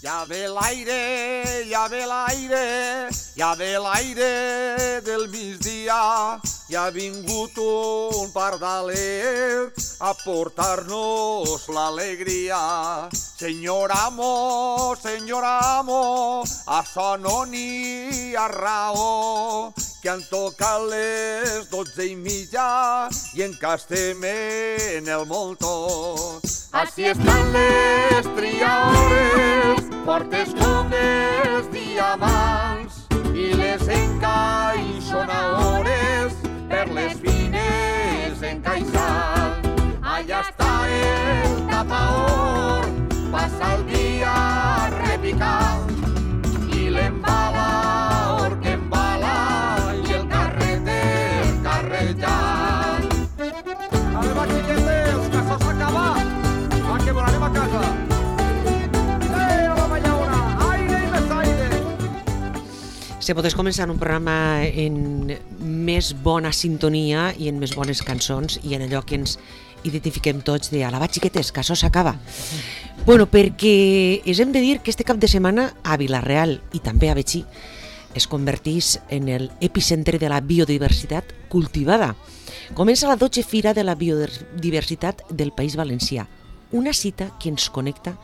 Ja ve l'aire, ja ve l'aire, ja ve l'aire del migdia. Ja ha vingut un pardalet a portar-nos l'alegria. Senyor amo, això no n'hi ha raó, que han tocat les 12:30 i encara estem en el moltó. Així estan les triadores, fortes com els diamants, i les encaixonadores per les fines encaixant. Allà està el tapaor, passa el dia repicant, i l'embalaor que embala i el carreter carrejant. A veure, xiquetes, que això s'ha acabat. Va, que volarem a casa. La mallaona, aire i més aire. Se podés començar un programa en més bona sintonia i en més bones cançons i en allò que ens identifiquem tots de alabar xiquetes, que això s'acaba. Bueno, perquè us hem de dir que este cap de setmana a Vila-real i també a Betxí es convertís en el epicentre de la biodiversitat cultivada. Comença la 12ª Fira de la Biodiversitat del País Valencià, una cita que ens connecta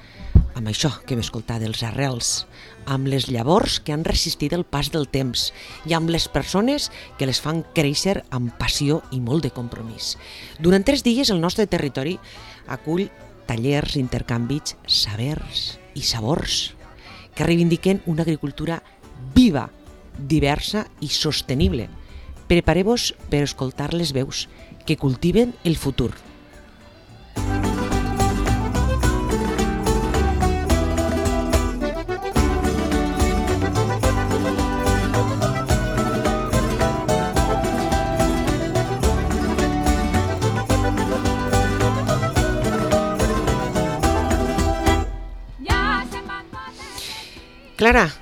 amb això que hem escoltat dels arrels, amb les llavors que han resistit el pas del temps i amb les persones que les fan créixer amb passió i molt de compromís. Durant 3 dies el nostre territori acull tallers, intercanvis, sabers i sabors que reivindiquen una agricultura viva, diversa i sostenible. Prepareu-vos per escoltar les veus que cultiven el futur. Clara,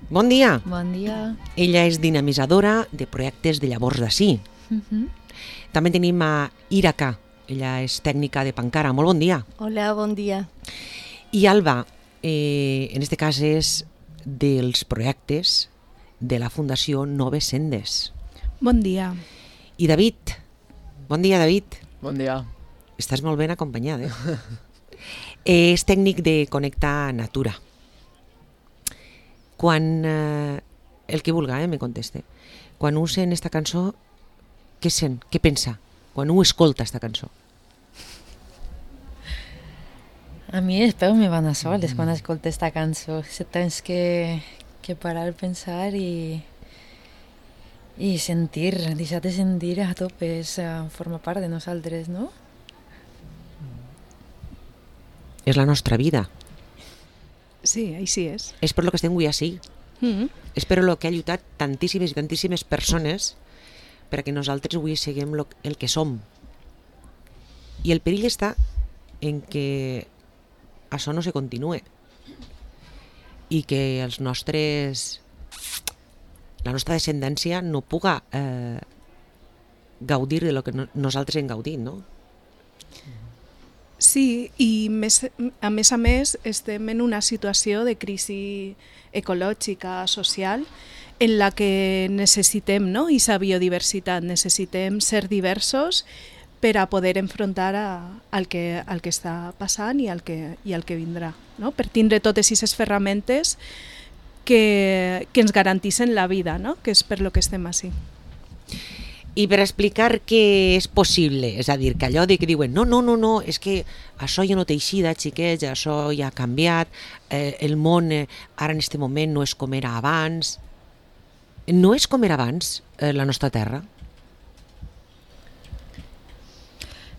bon dia. Bon dia. Ella és dinamitzadora de projectes de llavors d'ací. També tenim a Iraca, ella és tècnica de Pancara. Molt bon dia. Hola, bon dia. I Alba, en este cas és dels projectes de la Fundació Noves Sendes. Bon dia. I David, bon dia David. Bon dia. Estàs molt ben acompanyat, És tècnic de Connecta Natura. Quan, el que vulga, me conteste, quan ho sent esta cançó, què sent? Què pensa? Quan ho escolta, esta cançó? A mi els peus me van a soles quan escolto esta cançó. Tens que parar, pensar i sentir, deixar de sentir a tope, forma part de nosaltres, no? És la nostra vida. Sí, així és. És per lo que estem avui així. És per lo que ha lluitat tantíssimes i tantíssimes persones perquè nosaltres avui siguem el que som. I el perill està en que això no se continue i que la nostra descendència no puga gaudir de lo que nosaltres hem gaudit, no? Sí, i a més estem en una situació de crisi ecològica, social, en la que necessitem, no? Aquesta biodiversitat, necessitem ser diversos per a poder enfrontar al que està passant i al que vindrà, no? Per tindre totes aquestes ferramentes que ens garantissin la vida, no? Que és per lo que estem així. I per explicar que és possible, és a dir, que allò de que diuen no, és que això ja no té eixida, xiquets, això ja ha canviat, el món ara en aquest moment no és com era abans. No és com era abans la nostra terra?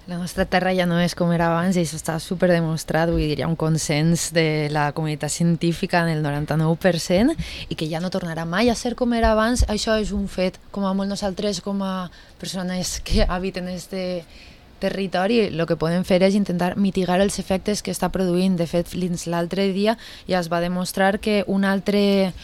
La nostra terra ja no és com era abans i això està superdemostrat, vull dir, hi ha un consens de la comunitat científica en el 99% i que ja no tornarà mai a ser com era abans. Això és un fet, com a molt nosaltres, com a persones que habiten este territori, el que podem fer és intentar mitigar els efectes que està produint. De fet, fins l'altre dia ja es va demostrar que un altre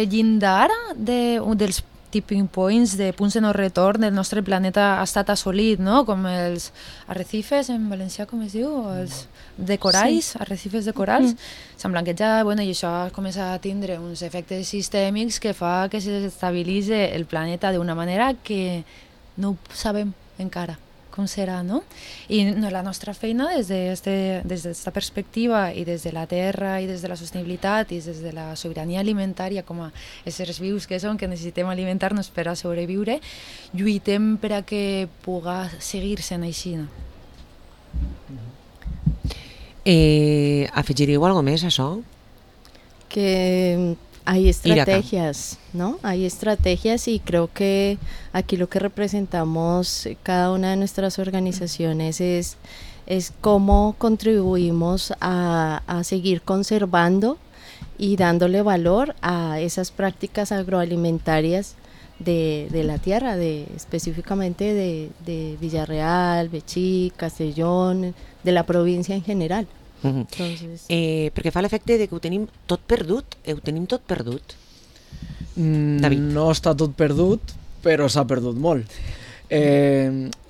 llindar dels tipping points, de punts de no retorn del nostre planeta ha estat assolit, no? Com els arrecifes, en valencià com es diu? Els de coralls, arrecifes de coralls. Sembla que ja, bueno, i això comença a tindre uns efectes sistèmics que fa que s'estabilitzi el planeta d'una manera que no sabem encara com serà, no? I la nostra feina des d'esta perspectiva i des de la terra i des de la sostenibilitat i des de la sobirania alimentària com a éssers vius que som, que necessitem alimentar-nos per a sobreviure, lluitem per a que pugui seguir sent així. Afegiríeu alguna més a això? Que hay estrategias, ¿no? Hay estrategias y creo que aquí lo que representamos cada una de nuestras organizaciones es cómo contribuimos a seguir conservando y dándole valor a esas prácticas agroalimentarias de la tierra, específicamente de Villarreal, Betxí, Castellón, de la provincia en general. Entonces... perquè fa l'efecte de que ho tenim tot perdut. David. No està tot perdut, però s'ha perdut molt.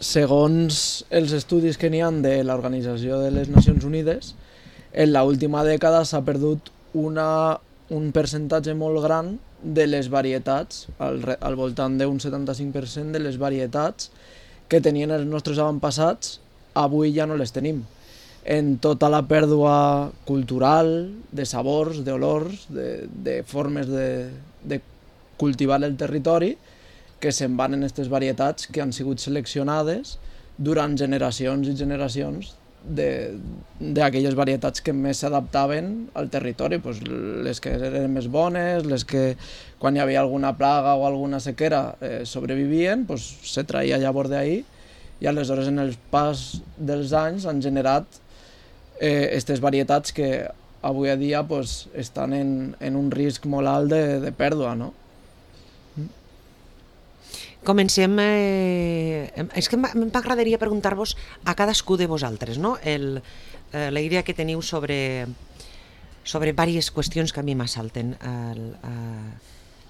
Segons els estudis que n'hi ha de l'Organització de les Nacions Unides, en l'última dècada s'ha perdut un percentatge molt gran de les varietats, al voltant d'un 75% de les varietats que tenien els nostres avantpassats, avui ja no les tenim. En tota la pèrdua cultural, de sabors, d'olors, de formes de cultivar el territori, que se'n van en aquestes varietats que han sigut seleccionades durant generacions i generacions d'aquelles varietats que més s'adaptaven al territori, pues les que eren més bones, les que quan hi havia alguna plaga o alguna sequera sobrevivien, pues se traia llavors d'ahí, i aleshores en el pas dels anys han generat aquestes varietats que avui a dia pues, estan en un risc molt alt de pèrdua, no? Comencem... És que m'agradaria preguntar-vos a cadascú de vosaltres, no? La idea que teniu sobre diverses qüestions que a mi m'assalten.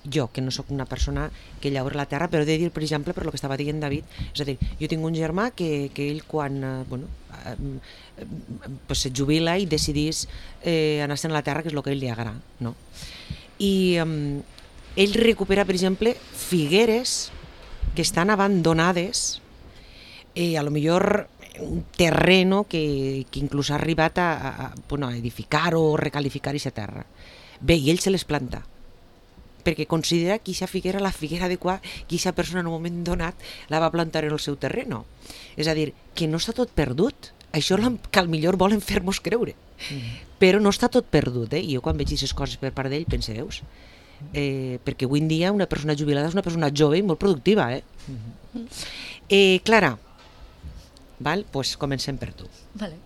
Jo, que no sóc una persona que llaura la terra, però he de dir, per exemple, per lo que estava dient David, és a dir, jo tinc un germà que ell quan se jubila i decidís anar-se'n a la terra, que és el que a ell li agrada, no? I ell recupera, per exemple, figueres que estan abandonades, a lo millor un terreno que inclús ha arribat a edificar o recalificar aquesta terra. Bé, i ell se les planta, perquè considera que aquesta figuera la figuera adequada, que aquesta persona en un moment donat la va plantar en el seu terreno. És a dir, que no està tot perdut. Això que al millor volen fer-nos creure. Però no està tot perdut, i jo quan veig aquestes coses per part d'ell pense, veus? Perquè avui en dia una persona jubilada és una persona jove i molt productiva. Clara, pues comencem per tu. Vale.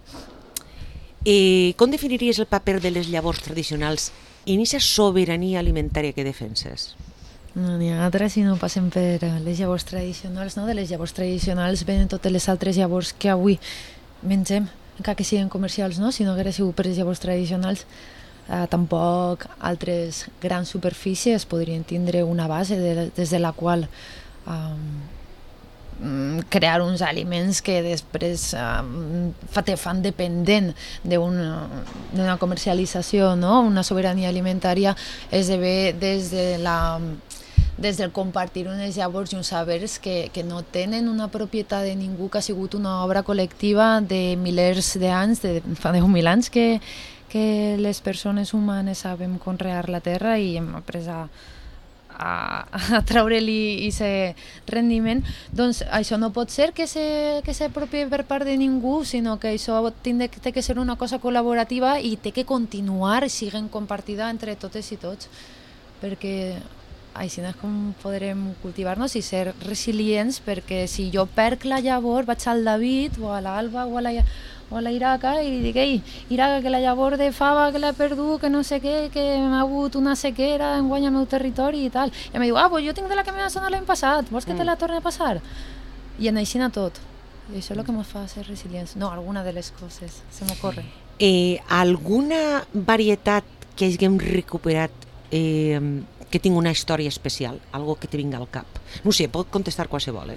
Com definiries el paper de les llavors tradicionals en aquesta sobirania alimentària que defenses? No n'hi ha altres si no passem per les llavors tradicionals, no? De les llavors tradicionals venen totes les altres llavors que avui mengem, encara que siguin comercials, no? Si no hagués sigut per les llavors tradicionals, tampoc altres grans superfícies podrien tindre una base des de la qual crear uns aliments que després te fan dependent d'una comercialització, no? Una sobirania alimentària esdevé des del compartir unes llavors i uns sabers que no tenen una propietat de ningú, que ha sigut una obra col·lectiva de milers d'anys, fa 10.000 anys que les persones humanes sabem conrear la terra i hem après a treure-li aquest rendiment. Doncs això no pot ser que s'apropie per part de ningú, sinó que això té que ser una cosa col·laborativa i té que continuar sent compartida entre totes i tots, perquè així és com podrem cultivar-nos i ser resilients, perquè si jo perc la llavor vaig al David o a l'Alba o a la Iraca i li dic, ei, Iraca, que la llavor de fava que l'he perdut, que no sé què, que m'ha hagut una sequera enguany al meu territori i tal. I em diu, pues jo tinc de la que m'ha sonat l'any passat, vols que te la torni a passar? I en així tot. I això és el que ens fa ser resilients. No, alguna de les coses, se m'ocorre. Alguna varietat que haguem recuperat que tingui una història especial, algo que te vinga al cap. No sé, pot contestar qualsevol.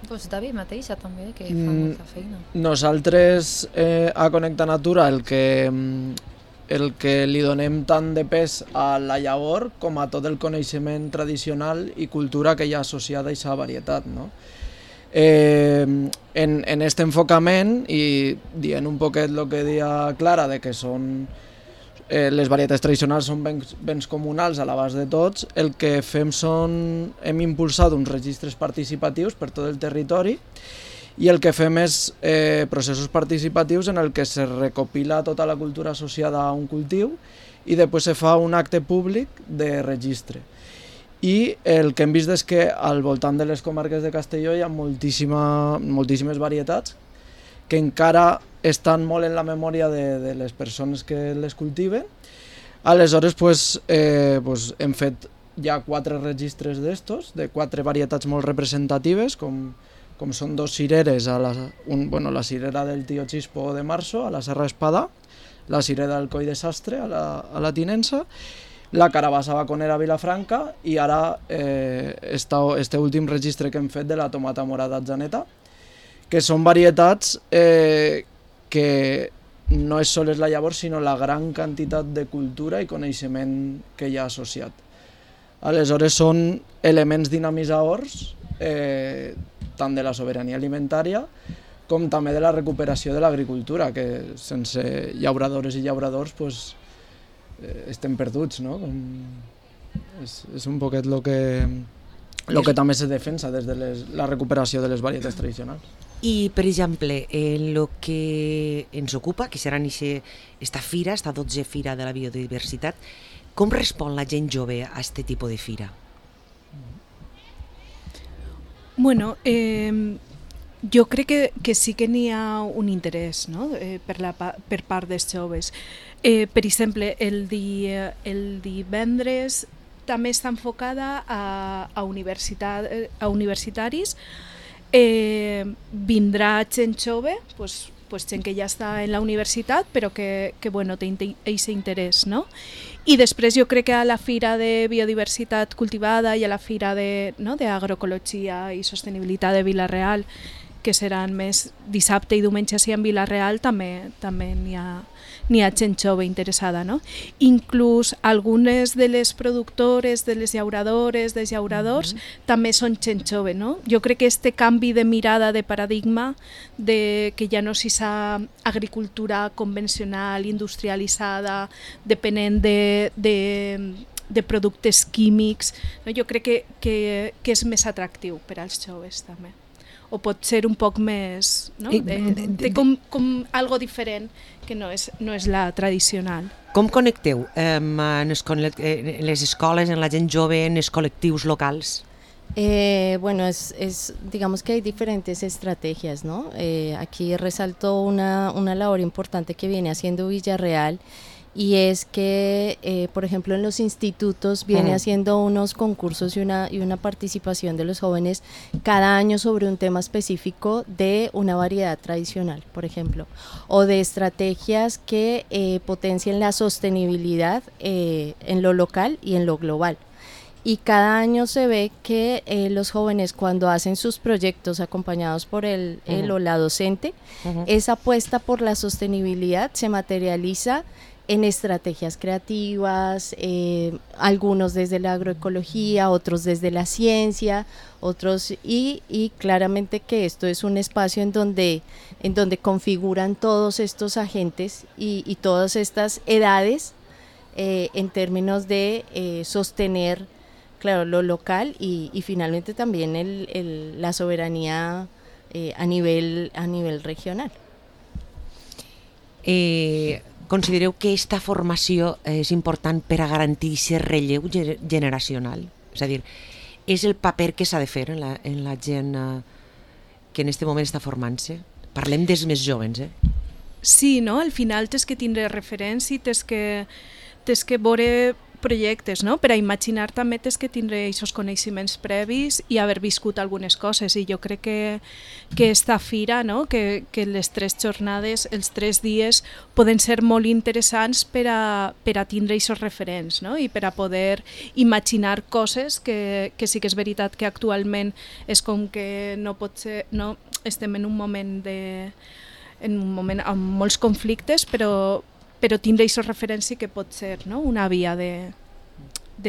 Pues David mateixa també, que fa molta feina. Nosaltres a Connecta Natura el que li donem tant de pes a la llavor com a tot el coneixement tradicional i cultura que hi ha associada a aquesta varietat, no? En este enfocament, i dient un poquet el que deia Clara, de que són les varietats tradicionals són béns comunals a l'abast de tots, el que fem hem impulsat uns registres participatius per tot el territori i el que fem és processos participatius en el que se recopila tota la cultura associada a un cultiu i després se fa un acte públic de registre. I el que hem vist és que al voltant de les comarques de Castelló hi ha moltíssimes varietats que encara estan molt en la memòria de les persones que les cultiven. Aleshores hem fet ja 4 registres d'estos, de 4 varietats molt representatives, com són 2 cireres, la cirera del Tío Chispo de Marzo, a la Serra Espadà, la cirera del Coll de Sastre, a la Tinença, la carabassa baconera a Vilafranca i ara este últim registre que hem fet de la tomata morada Atzeneta, que són varietats que no és sols la llavor, sinó la gran quantitat de cultura i coneixement que hi ha associat. Aleshores són elements dinamitzadors tant de la sobirania alimentària com també de la recuperació de l'agricultura, que sense llauradores i llauradors estem perduts, no? És un poquet el que també se defensa des de la recuperació de les varietats tradicionals. I, per exemple, el que ens ocupa, que serà esta fira, esta 12 Fira de la Biodiversitat, com respon la gent jove a aquest tipus de fira? Bueno, jo crec que sí que n'hi ha un interès, no? per part dels joves. Per exemple, el divendres també està enfocada a universitaris. Vindrà gent jove, gent que ja està en la universitat però que té aquest interès, no? I després jo crec que a la Fira de Biodiversitat Cultivada i a la Fira d'Agroecologia i Sostenibilitat de Vila-real, que seran més dissabte i diumenge en Vila-real, també n'hi ha gent jove interessada, no? Inclús algunes de les productores, de les llauradores, dels llauradors, també són gent jove, no? Jo crec que este canvi de mirada, de paradigma, de que ja no s'hi sa agricultura convencional, industrialitzada, depenent de productes químics, no? Jo crec que és més atractiu per als joves també. O pot ser un poc més, no? Té com algo diferent que no és la tradicional. Com connecteu en les escoles, en la gent jove, en els col·lectius locals? Bueno, digamos que hay diferentes estrategias, ¿no? Aquí resalto una labor importante que viene haciendo Villarreal, y es que, por ejemplo, en los institutos viene haciendo unos concursos y una participación de los jóvenes cada año sobre un tema específico de una variedad tradicional, por ejemplo, o de estrategias que potencien la sostenibilidad en lo local y en lo global. Y cada año se ve que los jóvenes, cuando hacen sus proyectos acompañados por el o la docente, esa apuesta por la sostenibilidad se materializa en estrategias creativas, algunos desde la agroecología, otros desde la ciencia, otros y claramente que esto es un espacio en donde configuran todos estos agentes y todas estas edades en términos de sostener, claro, lo local y finalmente también la soberanía a nivel regional. Considereu que aquesta formació és important per a garantir aquest relleu generacional? És a dir, és el paper que s'ha de fer en la gent que en aquest moment està formant-se? Parlem dels més joves, Sí, no? Al final tens que tindre referents i tens que veure projectes, no? Per a imaginar també tens que tindre aquests coneixements previs i haver viscut algunes coses, i jo crec que esta fira, no? que les 3 jornades, els 3 dies poden ser molt interessants per a tindre aquests referents, no? I per a poder imaginar coses que sí que és veritat que actualment és com que no pot ser, no? Estem en un moment amb molts conflictes, però tindre aquests referents sí que pot ser, no? Una via de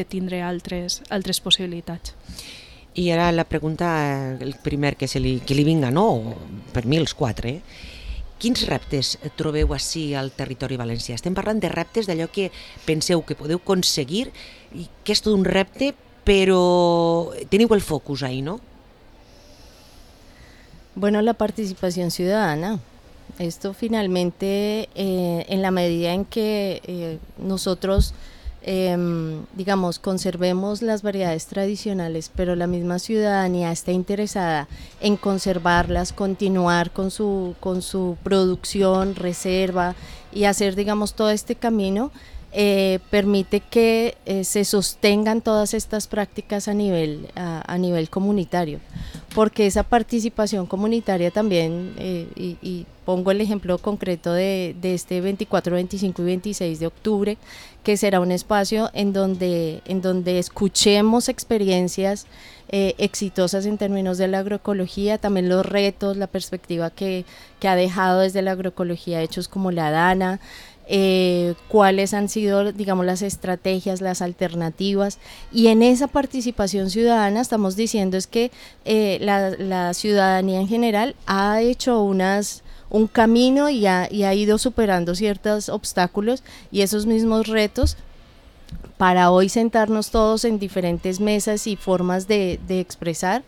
tindre altres possibilitats. I ara la pregunta, el primer que li vinga, no? Per mi els 4, Quins reptes trobeu ací al territori valencià? Estem parlant de reptes d'allò que penseu que podeu aconseguir i que és tot un repte, però teniu el focus ahí, ¿no? Bueno, la participación ciudadana. Esto finalmente, en la medida en que nosotros, digamos, conservemos las variedades tradicionales, pero la misma ciudadanía está interesada en conservarlas, continuar con su producción, reserva y hacer, digamos, todo este camino, permite que se sostengan todas estas prácticas a nivel comunitario, porque esa participación comunitaria también, y pongo el ejemplo concreto de este 24, 25 y 26 de octubre, que será un espacio en donde escuchemos experiencias exitosas en términos de la agroecología, también los retos, la perspectiva que ha dejado desde la agroecología hechos como la Dana, cuáles han sido, digamos, las estrategias, las alternativas, y en esa participación ciudadana estamos diciendo es que la ciudadanía en general ha hecho un camino y ha ido superando ciertos obstáculos y esos mismos retos para hoy sentarnos todos en diferentes mesas y formas de expresar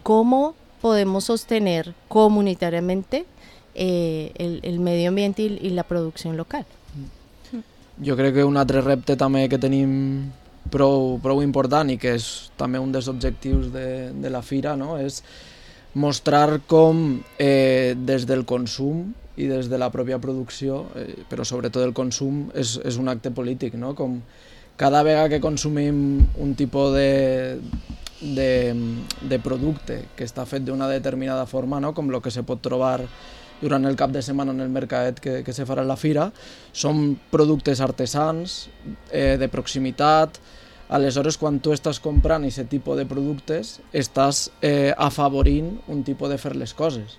cómo podemos sostener comunitariamente el medio ambiente y la producció local. Jo crec que un altre repte també que tenim prou important i que és també un dels objectius de la fira, no? És mostrar com des del consum i des de la pròpia producció, però sobretot el consum, és un acte polític, no? Com cada vegada que consumim un tipus de producte que està fet d'una determinada forma, no? Com el que se pot trobar durant el cap de setmana en el mercat que se farà a la fira, són productes artesans, de proximitat. Aleshores, quan tu estàs comprant aquest tipus de productes, estàs afavorint un tipus de fer les coses.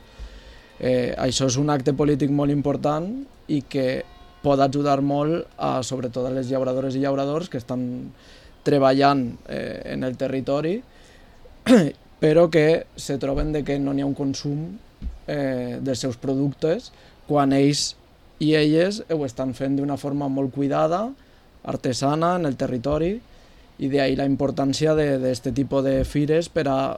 Això és un acte polític molt important i que pot ajudar molt, sobretot a les llauradores i llauradors que estan treballant en el territori, però que se troben que no n'hi ha un consum dels seus productes quan ells i elles ho estan fent d'una forma molt cuidada, artesana, en el territori, i d'ahí la importància d'aquest tipus de fires per a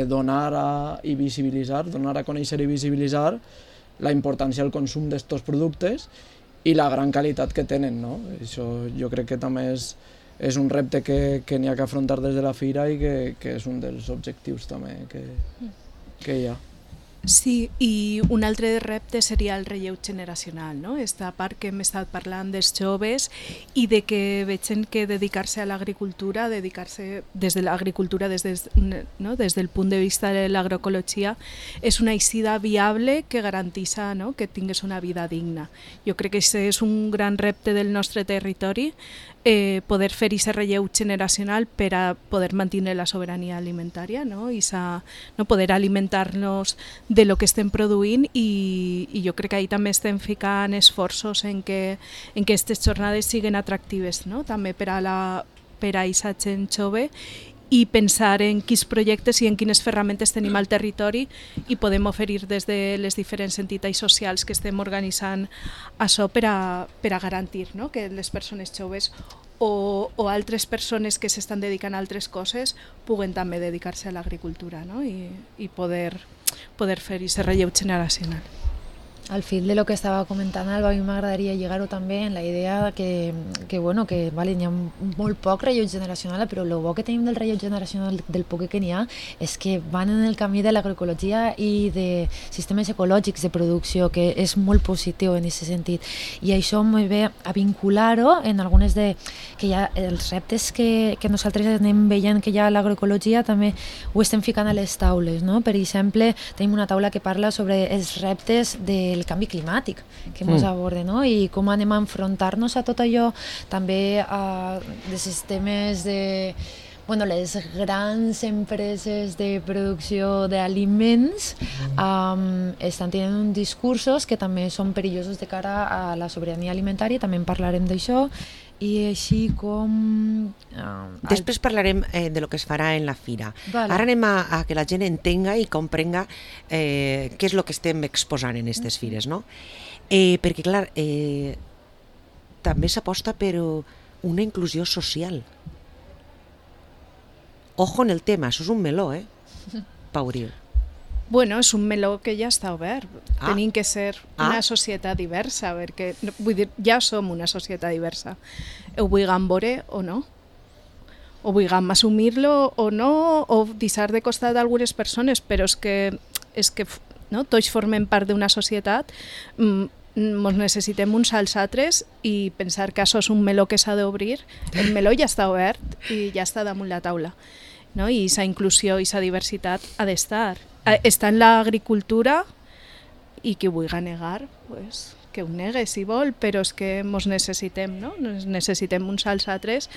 donar i visibilitzar, donar a conèixer i visibilitzar la importància del consum d'aquests productes i la gran qualitat que tenen, no? Això jo crec que també és un repte que n'hi ha que afrontar des de la fira i que és un dels objectius també que hi ha. Sí, i un altre repte seria el relleu generacional, no? Esta part que hem estat parlant dels joves i de que vegin que dedicar-se a l'agricultura, dedicar-se des de l'agricultura des del punt de vista de l'agroecologia, és una eixida viable que garantissa, no? Que tingués una vida digna. Jo crec que aquest és un gran repte del nostre territori, poder fer aquest relleu generacional per a poder mantenir la sobirania alimentària, no? Poder alimentar-nos de lo que estem produint i jo crec que ahí també estem ficant esforços en que aquestes jornades siguin atractives, no? També per a aquesta gent jove i pensar en quins projectes i en quines ferramentes tenim al territori i podem oferir des de les diferents entitats socials que estem organitzant això per a garantir, no? Que les persones joves o altres persones que s'estan dedicant a altres coses puguen també dedicar-se a l'agricultura, no? I poder fer aquest relleu generacional. Al fil de lo que estaba comentando Alba, a mi m'agradaria lligar-ho també en la idea que vale, n'hi ha molt poc rellotge generacional, però el bo que tenim del rellotge generacional, del poc que n'hi ha, és que van en el camí de l'agroecologia i de sistemes ecològics de producció, que és molt positiu en aquest sentit. I això m'ho ve a vincular-ho en algunes de... que ja els reptes que nosaltres anem veient que hi ha a l'agroecologia també ho estem ficant a les taules, no? Per exemple, tenim una taula que parla sobre els reptes del canvi climàtic que ens aborda, no? I com anem a enfrontar-nos a tot allò, també de sistemes de... Bueno, les grans empreses de producció d'aliments estan tenint uns discursos que també són perillosos de cara a la sobirania alimentària, també en parlarem d'això, i així com... Després parlarem de lo que es farà en la fira. Vale. Ara anem a que la gent entenga i comprenga què és el que estem exposant en aquestes fires, no? Perquè, clar, també s'aposta per una inclusió social. Ojo en el tema, això és un meló, Pauril. Bueno, és un meló que ja està obert. Tenim que ser una societat diversa, perquè, vull dir, ja som una societat diversa. Ho vulguem veure o no. O vulguem assumir-lo o no, o deixar de costat algunes persones, però és que no? Tots formem part d'una societat, ens necessitem uns als altres i pensar que això és un meló que s'ha d'obrir. El meló ja està obert i ja està damunt la taula. No? I aquesta inclusió i aquesta diversitat ha d'estar. Està en l'agricultura i qui ho vulgui negar, pues, que ho negue si vol, però és que ens necessitem, no? Necessitem uns als altres,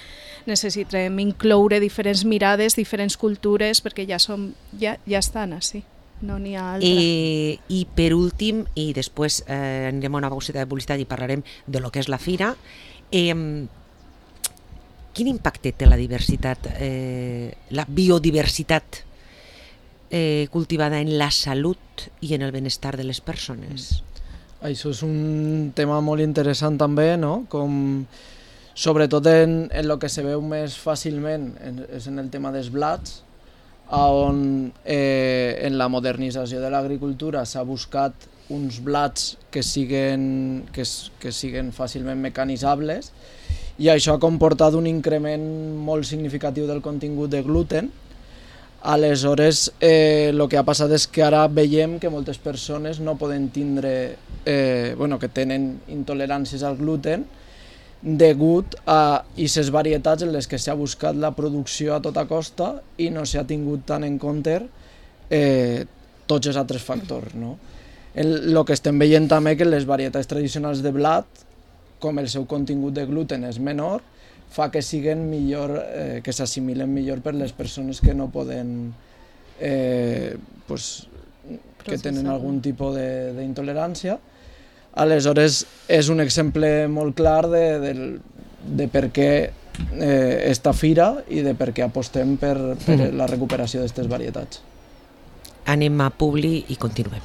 necessitem incloure diferents mirades, diferents cultures, perquè ja estan així, no n'hi ha altra. I per últim, i després anirem a una pauseta de publicitat i parlarem de lo que és la fira, quin impacte té la diversitat, la biodiversitat cultivada en la salut i en el benestar de les persones? Això és un tema molt interessant també, no? Com, sobretot en el que se veu més fàcilment és en el tema dels blats, on en la modernització de l'agricultura s'ha buscat uns blats que siguen fàcilment mecanitzables, i això ha comportat un increment molt significatiu del contingut de gluten. Aleshores, el que ha passat és que ara veiem que moltes persones no poden tindre, que tenen intoleràncies al gluten degut a aquestes varietats en les que s'ha buscat la producció a tota costa i no s'ha tingut tant en compte tots els altres factors, no? El que estem veient també que les varietats tradicionals de blat, com el seu contingut de gluten és menor, fa que siguen millor, que s'assimilen millor per les persones que no poden, que tenen algun tipus d'intolerància. Aleshores, és un exemple molt clar de per què esta fira i de per què apostem per la recuperació d'aquestes varietats. Anem a Publi i continuem.